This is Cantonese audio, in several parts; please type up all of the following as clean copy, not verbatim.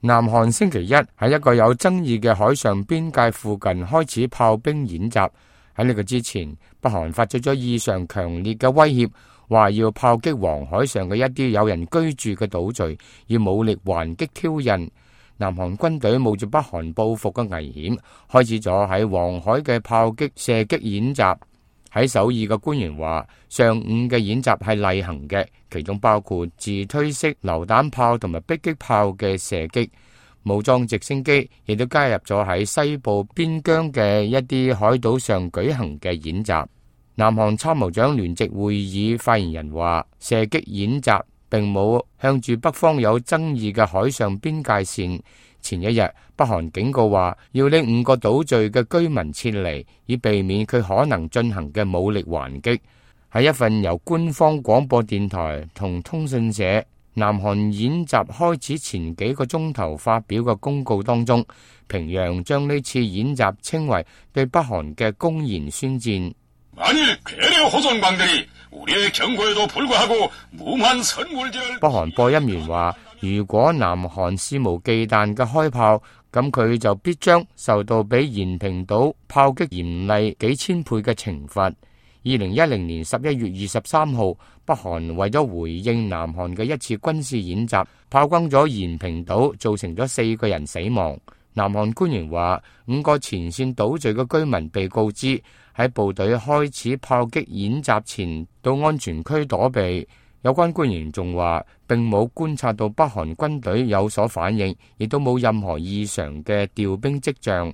南韓星期一喺一個有爭議嘅海上邊界附近開始炮兵演習。喺呢個之前，北韓發出咗異常強烈嘅威脅，話要炮擊黃海上嘅一啲有人居住嘅島嶼，以武力還擊挑釁。南韓軍隊冒住北韓報復嘅危險，開始咗喺黃海嘅炮擊射擊演習。喺首爾嘅官員話，上午嘅演習係例行嘅，其中包括自推式榴彈炮同埋迫擊炮嘅射擊。武裝直升機亦都加入咗喺西部邊疆嘅一啲海島上舉行嘅演習。南韓參謀長聯席會議發言人話，射擊演習並冇向住北方有爭議嘅海上邊界線。前一日，北韓警告話要令5個島嶼嘅居民撤離，以避免佢可能進行嘅武力還擊。喺一份由官方廣播電台同通訊社南韓演習開始前幾個鐘頭發表嘅公告當中，平壤將呢次演習稱為對北韓嘅公然宣戰。北韓播音員話，如果南韓肆無忌憚嘅開炮，咁佢就必將受到比延坪島炮擊嚴厲幾千倍嘅懲罰。2010年11月23號，北韓為咗回應南韓嘅一次軍事演習，炮轟咗延坪島，造成咗4個人死亡。南韓官員話，5個前線島嶼嘅居民被告知喺部隊開始炮擊演習前到安全區躲避。有關官員仲話，並冇觀察到北韓軍隊有所反應，亦都冇任何異常嘅調兵跡象。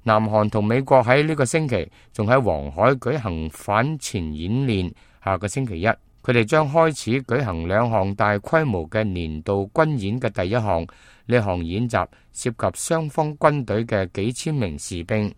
南韓同美國喺呢個星期仲喺黃海舉行反潛演練，下個星期一，佢哋將開始舉行2項大規模嘅年度軍演嘅第一項。呢項演習涉及雙方軍隊嘅幾千名士兵。